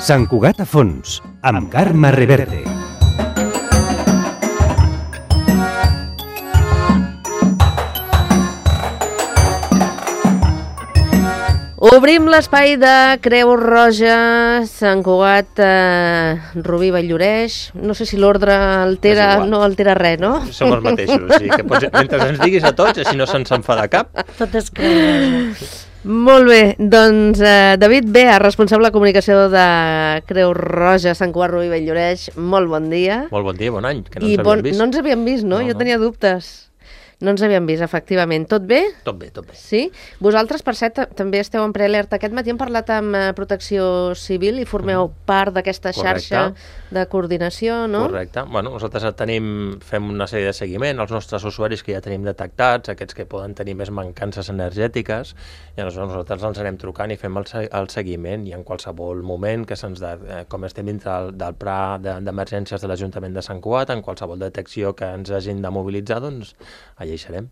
Sant Cugat a fons, amb Carme Reverte. Obrim l'espai de Creu Roja, Sant Cugat, Rubí Vall-lloreix. No sé si l'ordre altera, no altera res, no? Som els mateixos, sí, que pots, mentre ens diguis a tots, així no se'ns enfada cap. Tot és Creu Roja. Molt bé, doncs David Bea, responsable de comunicació de Creu Roja, Sant Cugat, Rubí Vall-lloreix, molt bon dia. Molt bon dia, bon any, que no ens havíem vist. No ens havíem vist, no? Jo tenia dubtes. No ens havíem vist, efectivament. Tot bé? Tot bé, tot bé. Sí? Vosaltres, per cert, també esteu en prealerta. Aquest matí hem parlat amb Protecció Civil i formeu part d'aquesta xarxa de coordinació, no? Correcte. Bueno, nosaltres fem una sèrie de seguiment als nostres usuaris que ja tenim detectats, aquests que poden tenir més mancances energètiques, i nosaltres ens anem trucant i fem el seguiment, i en qualsevol moment que com estem dintre del pla d'emergències de l'Ajuntament de Sant Cugat, en qualsevol detecció que ens hagin de mobilitzar, doncs allà hi serem.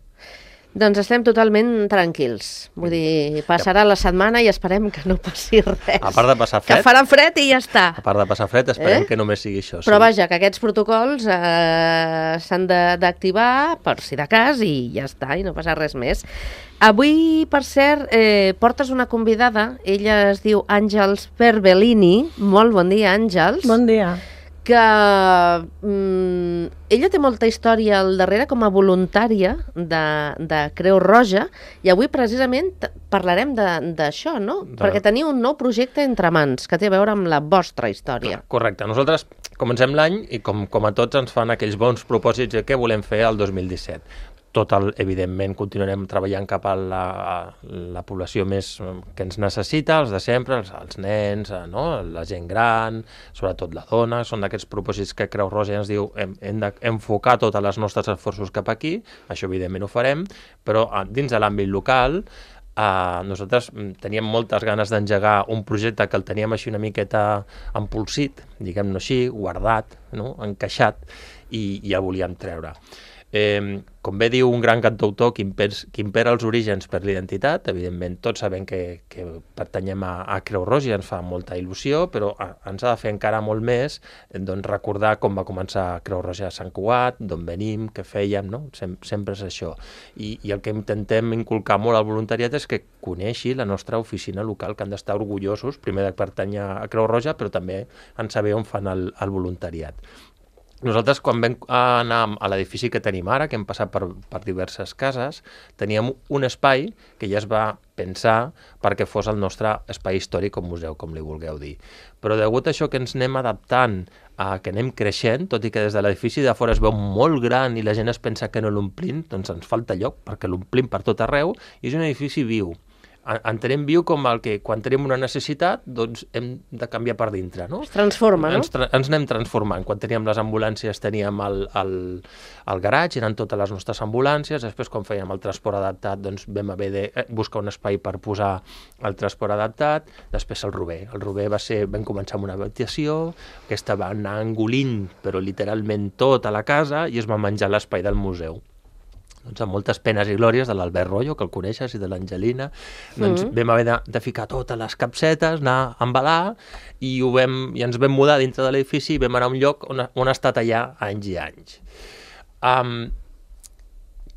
Doncs estem totalment tranquils. Vull dir, passarà la setmana i esperem que no passi res. A part de passar fred. Que farà fred i ja està. A part de passar fred, esperem que només sigui això. Però vaja, que aquests protocols s'han d'activar per si de cas i ja està, i no passa res més. Avui, per cert, portes una convidada. Ella es diu Àngels Perbellini. Molt bon dia, Àngels. Bon dia. Que ella té molta història al darrere com a voluntària de Creu Roja, i avui precisament parlarem d'això, no? Perquè teniu un nou projecte entre mans que té a veure amb la vostra història. Correcte. Nosaltres comencem l'any i com a tots ens fan aquells bons propòsits de què volem fer el 2017. Evidentment, continuarem treballant cap a la població més que ens necessita, els de sempre, els nens, no? La gent gran, sobretot la dona. Són d'aquests propòsits que Creu Roja ens diu hem d'enfocar tots els nostres esforços cap aquí. Això, evidentment, ho farem, però dins de l'àmbit local nosaltres teníem moltes ganes d'engegar un projecte que el teníem així una miqueta empolsit, diguem-ne així, guardat, no? Encaixat, i el volíem treure. Com bé diu un gran cantautor, qui impera els orígens per l'identitat. Evidentment, tots sabem que pertanyem a Creu Roja i ens fa molta il·lusió, però ens ha de fer encara molt més recordar com va començar Creu Roja a Sant Cugat, d'on venim, què fèiem, no? Sempre és això. I el que intentem inculcar molt al voluntariat és que coneixi la nostra oficina local, que han d'estar orgullosos, primer de pertànyer a Creu Roja, però també en saber on fan el voluntariat. Nosaltres, quan vam anar a l'edifici que tenim ara, que hem passat per diverses cases, teníem un espai que ja es va pensar perquè fos el nostre espai històric o museu, com li vulgueu dir. Però degut a això que ens anem adaptant, que anem creixent, tot i que des de l'edifici de fora es veu molt gran i la gent es pensa que no l'omplim, doncs ens falta lloc perquè l'omplim per tot arreu, i és un edifici viu. Entenem viu com el que quan tenim una necessitat doncs hem de canviar per dintre, no? Es transforma, no? Ens anem transformant. Quan teníem les ambulàncies teníem el garatge, eren totes les nostres ambulàncies. Després, quan fèiem el transport adaptat, doncs vam haver de buscar un espai per posar el transport adaptat. Després el Rober. El Rober vam començar amb una habitació, aquesta va anar engolint, però literalment tota la casa, i es va menjar l'espai del museu. Doncs amb moltes penes i glòries de l'Albert Royo, que el coneixes, i de l'Angelina, doncs vam haver de ficar totes les capsetes, anar a embalar, i ens vam mudar dintre de l'edifici i vam anar a un lloc on ha estat allà anys i anys.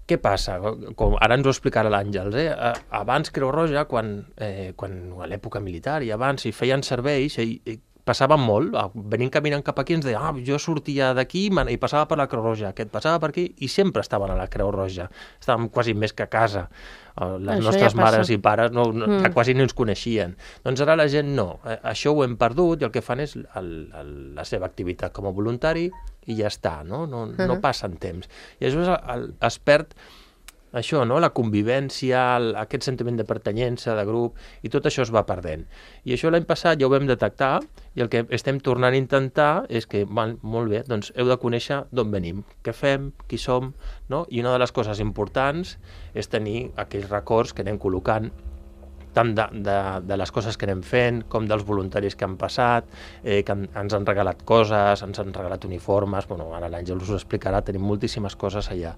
Què passa? Ara ens ho explicarà l'Àngels. Abans Creu Roja, quan a l'època militar i abans hi feien serveis, passaven molt, venint caminant cap aquí ens deien, jo sortia d'aquí i passava per la Creu Roja, aquest passava per aquí, i sempre estaven a la Creu Roja, estàvem quasi més que a casa, les nostres mares i pares ja quasi ni ens coneixien. Doncs ara la gent no, això ho hem perdut, i el que fan és la seva activitat com a voluntari i ja està, no passen temps. I això es perd això, no? La convivència, aquest sentiment de pertanyença, de grup, i tot això es va perdent. I això l'any passat ja ho vam detectar, i el que estem tornant a intentar és que, molt bé, doncs heu de conèixer d'on venim, què fem, qui som, no? I una de les coses importants és tenir aquells records que anem col·locant, tant de les coses que anem fent, com dels voluntaris que han passat, que ens han regalat coses, ens han regalat uniformes, ara l'Àngel us ho explicarà, tenim moltíssimes coses allà.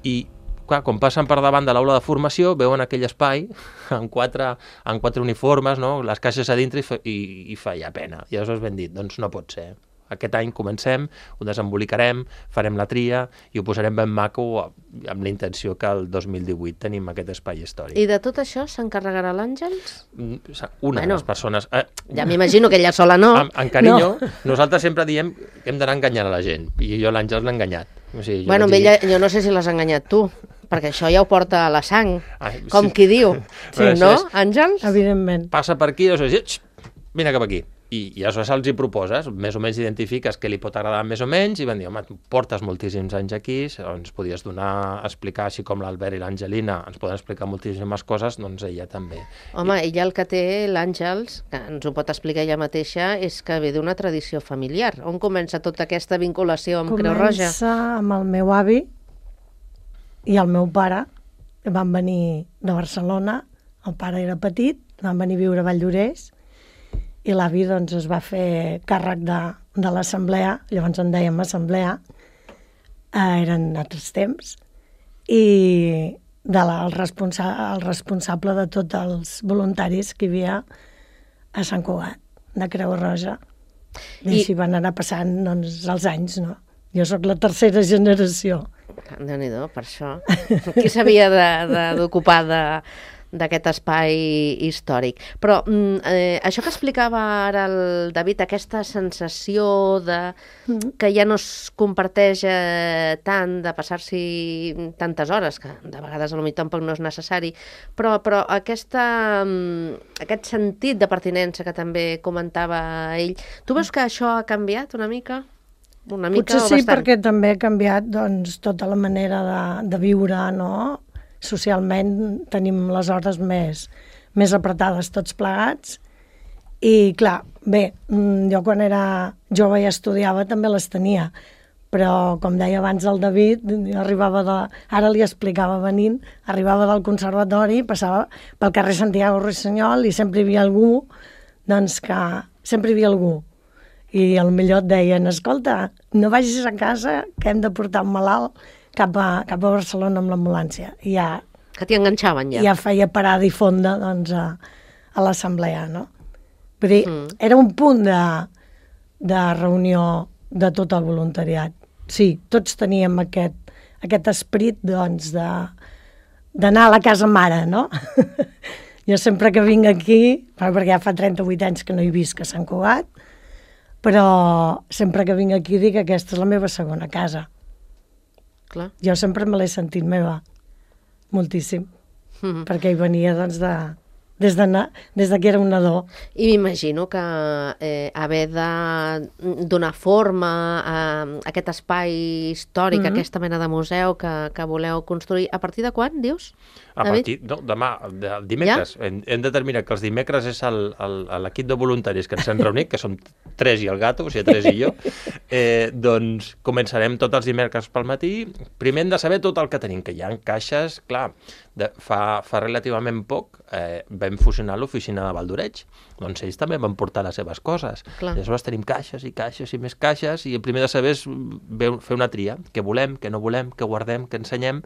I Clar, quan passen per davant de l'aula de formació, veuen aquell espai amb quatre uniformes, no? Les caixes a dintre i feia pena. I aleshores vam dir, doncs no pot ser. Aquest any comencem, ho desembolicarem, farem la tria i ho posarem ben maco amb la intenció que el 2018 tenim aquest espai històric. I de tot això s'encarregarà l'Àngels? Una de les persones... Ja m'imagino que ella sola no. En carinyo, nosaltres sempre diem que hem d'anar enganyant a la gent, i jo l'Àngels l'he enganyat. O sigui, bueno, ella, jo no sé si l'has enganyat tu, perquè això ja ho porta a la sang, com qui diu. Sí, no, Àngels? Evidentment. Passa per aquí, o sigui, vine cap aquí. I aleshores els hi proposes, més o menys identifiques què li pot agradar més o menys, i van dir, home, tu portes moltíssims anys aquí, ens podies explicar, així com l'Albert i l'Angelina, ens poden explicar moltíssimes coses, doncs ella també. Home, ella el que té, l'Àngels, que ens ho pot explicar ella mateixa, és que ve d'una tradició familiar. On comença tota aquesta vinculació amb Creu Roja? Comença amb el meu avi i el meu pare, que van venir de Barcelona, el pare era petit, van venir a viure a Valldoreix, i l'avi doncs, es va fer càrrec de l'assemblea, llavors en dèiem assemblea, eren altres temps, i el responsable de tots els voluntaris que hi havia a Sant Cugat, de Creu Roja. I així van anar passant doncs, els anys, no? Jo sóc la tercera generació. Déu-n'hi-do, per això. Qui s'havia d'ocupar d'aquest espai històric. Però això que explicava ara el David, aquesta sensació que ja no es comparteix tant de passar-s'hi tantes hores, que de vegades potser tampoc no és necessari, però aquest sentit de pertinença que també comentava ell, tu veus que això ha canviat una mica? Una mica potser o sí, bastant? perquè també ha canviat doncs, tota la manera de viure, no? Socialment tenim les hores més apretades tots plegats i clar, bé, jo quan era jove i estudiava també les tenia, però com deia abans el David, ara li explicava venint, arribava del conservatori, passava pel carrer Santiago Ruiseñol i sempre hi havia algú, doncs que sempre hi havia algú. I potser et deien, escolta, no vagis a casa que hem de portar un malalt cap a Barcelona amb l'ambulància. I ja, que t'hi enganxaven ja. Ja feia parada i fonda doncs, a l'assemblea, no? Vull dir, era un punt de reunió de tot el voluntariat. Sí, tots teníem aquest esperit doncs, d'anar a la casa mare, no? Jo sempre que vinc aquí, perquè ja fa 38 anys que no hi visc a Sant Cugat, però sempre que vinc aquí dic que aquesta és la meva segona casa. Clar. Jo sempre me l'he sentit meva, moltíssim, perquè hi venia doncs, des que era un nadó. I m'imagino que haver de donar forma a aquest espai històric, aquesta mena de museu que voleu construir, a partir de quan, dius? A partir, no, demà, dimecres. Ja? Hem de determinar que els dimecres és l'equip de voluntaris que ens hem reunit, que som 3 i el gato, o sigui, 3 i jo, doncs començarem tots els dimecres pel matí. Primer hem de saber tot el que tenim, que hi ha caixes, clar, fa relativament poc vam fusionar l'oficina de Valldoreix, doncs ells també van portar les seves coses. Clar. Aleshores tenim caixes i caixes i més caixes, i el primer de saber és fer una tria, què volem, què no volem, què guardem, què ensenyem,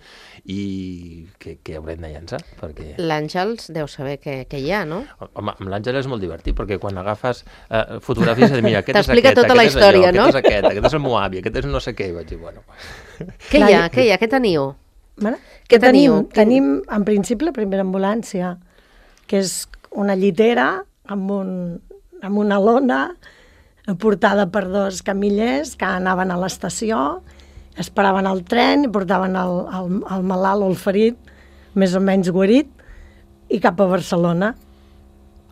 i què haurem de llançar. Perquè... L'Àngels deu saber què hi ha, no? Home, amb l'Àngel és molt divertit, perquè quan agafes fotografies i mira, aquest és aquest, tota aquest la és història, allò, no? aquest és el meu avi, aquest és no sé què, i vaig dir, bueno... Què hi ha? Què teniu? Què teniu? Tenim, en principi, la primera ambulància, que és una llitera amb una lona portada per 2 camillers que anaven a l'estació, esperaven el tren i portaven el malalt o el ferit, més o menys guarit, i cap a Barcelona,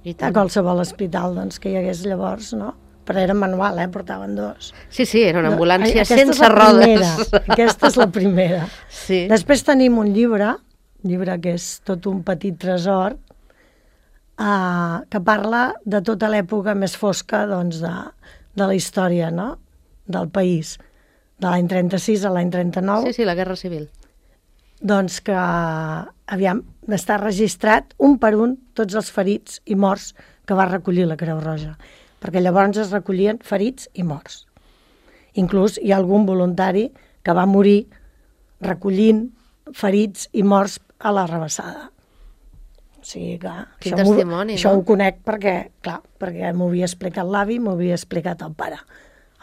a qualsevol hospital doncs, que hi hagués llavors, no? Però era manual, portaven 2. Sí, era una ambulància sense rodes. Aquesta és la primera. Sí. Després tenim un llibre que és tot un petit tresor, que parla de tota l'època més fosca doncs, de la història, no? Del país, de l'any 36 a l'any 39. Sí, la Guerra Civil. Doncs que, d'estar registrat un per un tots els ferits i morts que va recollir la Creu Roja, perquè llavors es recollien ferits i morts. Inclús hi ha algun voluntari que va morir recollint ferits i morts a la rebassada. O sigui que Quin testimoni, això no? ho conec perquè, clar, perquè m'ho havia explicat l'avi, m'ho havia explicat el pare.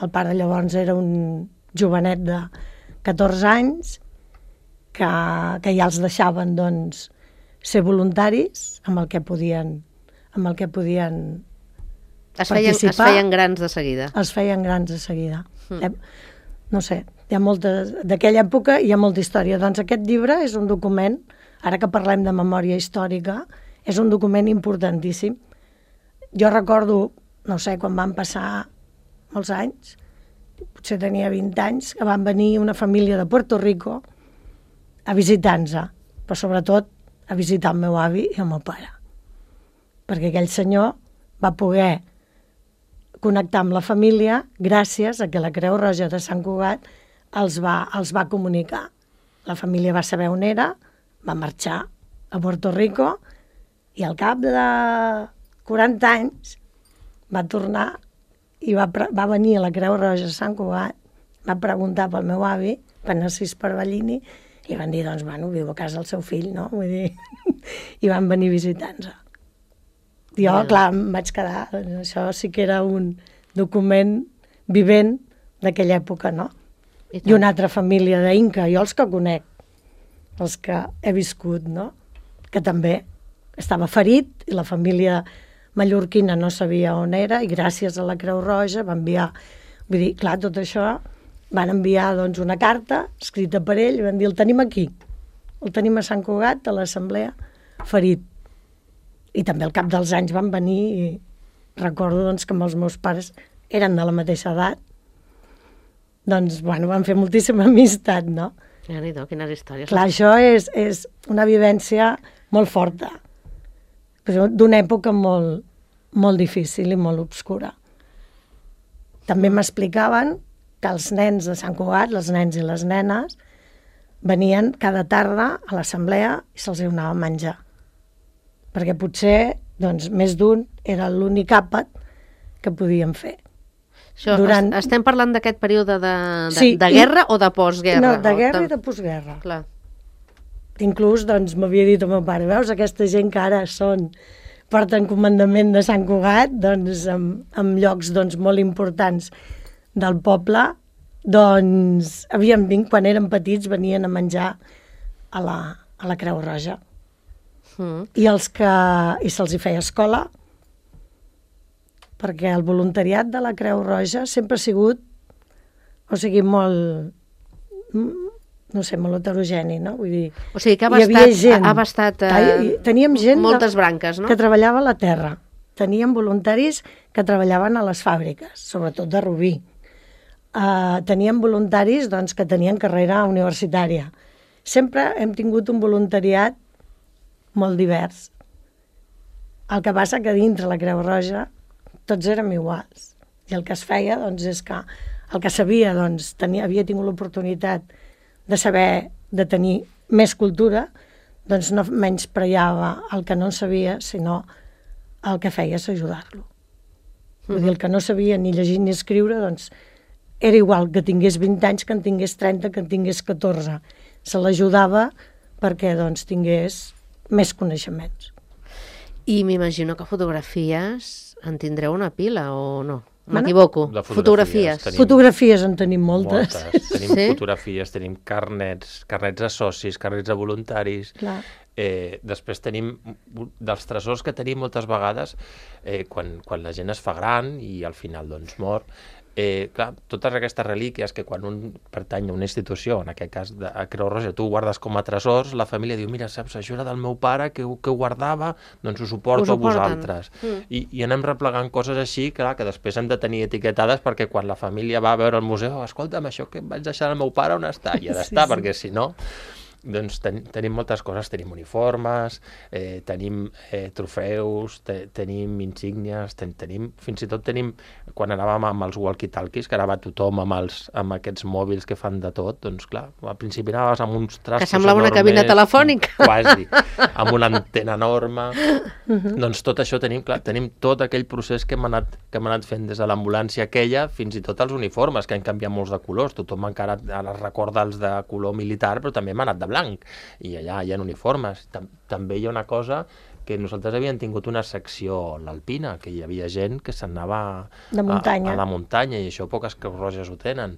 El pare llavors era un jovenet de 14 anys que ja els deixaven, doncs, ser voluntaris amb el que podien Es participar. feien grans de seguida. Es feien grans de seguida. No sé, hi ha moltes... D'aquella època hi ha molta història. Doncs aquest llibre és un document, ara que parlem de memòria històrica, és un document importantíssim. Jo recordo, no sé, quan van passar molts anys, potser tenia 20 anys, que van venir una família de Puerto Rico a visitar-nos, però sobretot a visitar el meu avi i el meu pare. Perquè aquell senyor va poder connectar amb la família gràcies a que la Creu Roja de Sant Cugat els va comunicar. La família va saber on era, va marxar a Puerto Rico i al cap de 40 anys va tornar i va venir a la Creu Roja de Sant Cugat, va preguntar pel meu avi, per Narcís Parvallini, i van dir, doncs, bueno, viu a casa el seu fill, no? Vull dir, i van venir a visitar-nos. Jo, clar, em vaig quedar... Això sí que era un document vivent d'aquella època, no? I una altra família d'Inca, jo els que conec, els que he viscut, no? Que també estava ferit i la família mallorquina no sabia on era i gràcies a la Creu Roja va enviar... Vull dir, clar, tot això van enviar, doncs, una carta escrita per ell i van dir, el tenim aquí, el tenim a Sant Cugat, a l'assemblea, ferit. I també al cap dels anys van venir i recordo, doncs, que amb els meus pares eren de la mateixa edat. Doncs, bueno, van fer moltíssima amistat, no? Déu-n'hi-do, quines històries. Clar, això és una vivència molt forta, però d'una època molt, molt difícil i molt obscura. També m'explicaven que els nens de Sant Cugat, els nens i les nenes, venien cada tarda a l'assemblea i se'ls donava a menjar. Perquè potser, doncs, més d'un era l'únic àpat que podien fer. Això, estem parlant d'aquest període Sí, de guerra o de postguerra? No, de guerra i de postguerra. Clar. Inclús, doncs, m'havia dit el meu pare, veus, aquesta gent que ara porten comandament de Sant Cugat, doncs, en llocs, doncs, molt importants del poble, doncs, quan eren petits, venien a menjar a la Creu Roja. I se'ls hi feia escola, perquè el voluntariat de la Creu Roja sempre ha sigut, o sigui, molt, no sé, molt heterogeni, no? Vull dir, o sigui que ha abastat teníem gent moltes branques, no? Que treballava a la terra. Teníem voluntaris que treballaven a les fàbriques, sobretot de Rubí. Teníem voluntaris, doncs, que tenien carrera universitària. Sempre hem tingut un voluntariat molt divers. El que passa que dintre la Creu Roja tots érem iguals. I el que es feia, doncs, és que el que sabia, doncs, havia tingut l'oportunitat de saber, de tenir més cultura, doncs no menyspreava el que no sabia, sinó el que feia és ajudar-lo. Vull dir, el que no sabia ni llegir ni escriure, doncs, era igual que tingués 20 anys, que en tingués 30, que en tingués 14. Se l'ajudava perquè, doncs, tingués més coneixements. I m'imagino que fotografies en tindreu una pila, o no? M'equivoco. Fotografies. Fotografies en tenim moltes. Tenim fotografies, tenim carnets de socis, carnets de voluntaris. Clar. Després tenim, dels tresors que tenim moltes vegades, quan la gent es fa gran i al final, doncs, mor, clar, totes aquestes relíquies que quan un pertany a una institució, en aquest cas a Creu Roja, tu ho guardes com a tresors, la família diu, mira, saps, això era del meu pare que ho guardava, doncs us ho porto a vosaltres. I anem replegant coses així, clar, que després hem de tenir etiquetades perquè quan la família va a veure al museu, escolta'm, això que vaig deixar al meu pare on està? I ha d'estar, perquè si no... Doncs tenim moltes coses, tenim uniformes, tenim trofeus, tenim insígnies, fins i tot tenim, quan anàvem amb els walkie-talkies, que ara va tothom amb aquests mòbils que fan de tot, doncs clar, al principi anaves amb uns trastos que semblava una cabina telefònica. Quasi, amb una antena enorme. Doncs tot això tenim tot aquell procés que hem anat fent des de l'ambulància aquella fins i tot els uniformes, que han canviat molts de colors. Tothom encara recorda els de color militar, però també hem anat de blanc. blanc, i allà hi ha uniformes. També hi ha una cosa que nosaltres havíem tingut una secció a l'Alpina, que hi havia gent que s'anava De muntanya. a la muntanya, i això poques Creus Roges ho tenen.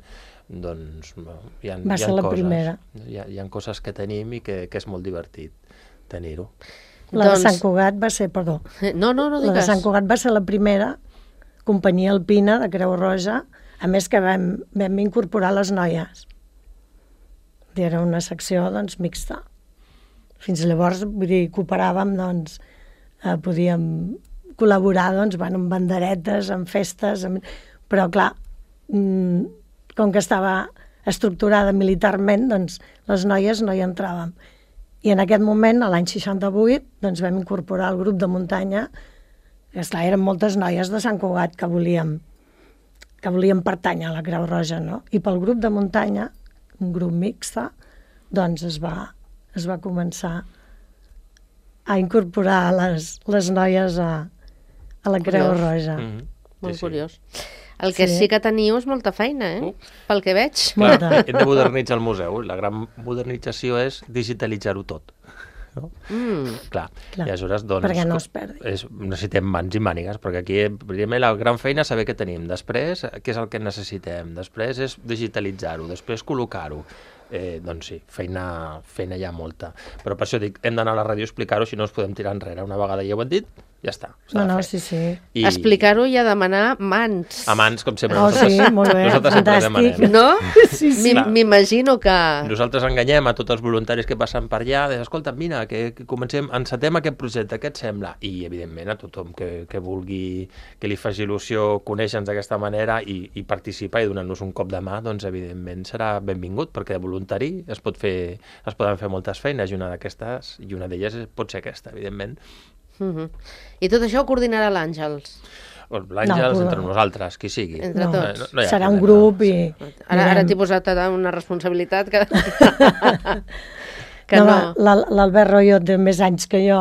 Doncs Va ser la primera. Hi ha coses que tenim i que és molt divertit tenir-ho. La de Sant Cugat va ser, perdó, No la de digues. Sant Cugat va ser la primera companyia alpina de Creu Roja, a més que vam incorporar les noies. Era una secció, doncs, mixta. Fins llavors, vull dir, cooperàvem, doncs, podíem col·laborar, doncs, amb banderetes, amb festes, però, clar, com que estava estructurada militarment, doncs, les noies no hi entràvem. I en aquest moment, a l'any 68, doncs, vam incorporar el grup de muntanya, que, esclar, eren moltes noies de Sant Cugat que volíem pertànyer a la Creu Roja, no? I pel grup de muntanya, un grup mixta, doncs es va començar a incorporar les noies a la Creu Roja. Molt curiós. El que sí que teniu és molta feina, pel que veig. Clar, hem de modernitzar el museu. La gran modernització és digitalitzar-ho tot. No? Clar. I aleshores, doncs, perquè no es perdi. Necessitem mans i mànigues, perquè aquí, primer, la gran feina és saber què tenim. Després, què és el que necessitem. Després és digitalitzar-ho. Després, col·locar-ho. Doncs sí, feina hi ha molta. Però per això dic, hem d'anar a la ràdio a explicar-ho, si no ens podem tirar enrere. Una vegada ja ho hem dit, ja està. Sí. I explicar-ho i a demanar mans. a mans, com sempre. Sí, molt bé, fantàstic. No? Sí. M'imagino que... Nosaltres enganyem a tots els voluntaris que passen per allà, escolta, mira, que comencem, encetem aquest projecte, què et sembla? I, evidentment, a tothom que vulgui, que li faci il·lusió conèixer-nos d'aquesta manera i participar i donar-nos un cop de mà, doncs, evidentment, serà benvingut, perquè de voluntari es poden fer moltes feines, i una d'elles pot ser aquesta, evidentment. I tot això ho coordinarà l'Àngels? L'Àngels, entre nosaltres, qui sigui. Entre tots. No serà un grup i... Ara t'he posat una responsabilitat que... L'Albert Royo té més anys que jo,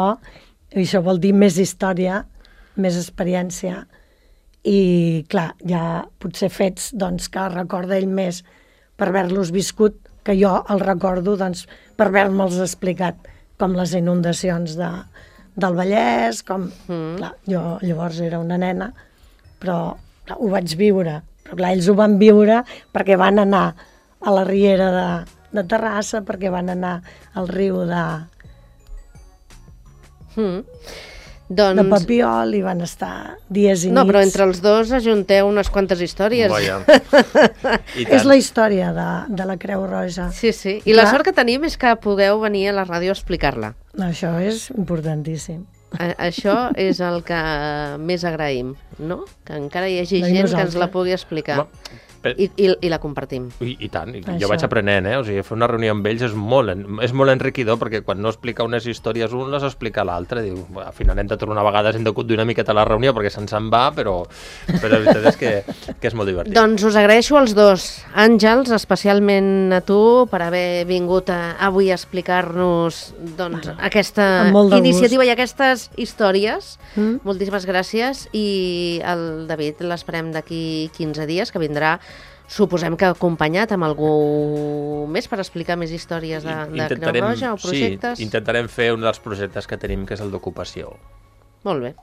i això vol dir més història, més experiència, i clar, hi ha potser fets doncs, que recorda ell més per haver-los viscut, que jo el recordo doncs, per haver-me'ls explicat, com les inundacions del Vallès, com... Clar, jo llavors era una nena, però clar, ho vaig viure. Però clar, ells ho van viure perquè van anar a la riera de Terrassa, perquè van anar al riu de Papiol i van estar dies i nits. No, però entre els dos ajunteu unes quantes històries. És la història de la Creu Roja. Sí. I la sort que tenim és que podeu venir a la ràdio a explicar-la. Això és importantíssim. Això és el que més agraïm, no? Que encara hi hagi gent que ens la pugui explicar. I la compartim. I tant, jo vaig aprenent, O sigui, fer una reunió amb ells és molt enriquidor, perquè quan no explica unes històries un, les explica l'altre. Diu, al final hem de tornar una vegada, hem de conduir una miqueta a la reunió perquè se'n va, però la veritat és que és molt divertit. Doncs us agraeixo als dos, Àngels, especialment a tu, per haver vingut avui a explicar-nos aquesta iniciativa i aquestes històries. Moltíssimes gràcies, i el David l'esperem d'aquí 15 dies, que vindrà, suposem que acompanyat amb algú més per explicar més històries de Creu Roja o projectes. Sí, intentarem fer un dels projectes que tenim, que és el d'ocupació. Molt bé.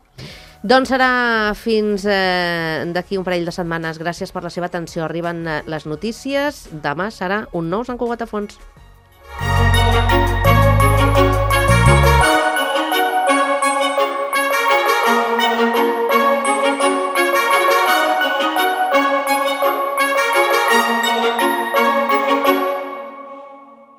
Doncs serà fins d'aquí un parell de setmanes. Gràcies per la seva atenció. Arriben les notícies. Demà serà un nou Sant Cugat a Fons.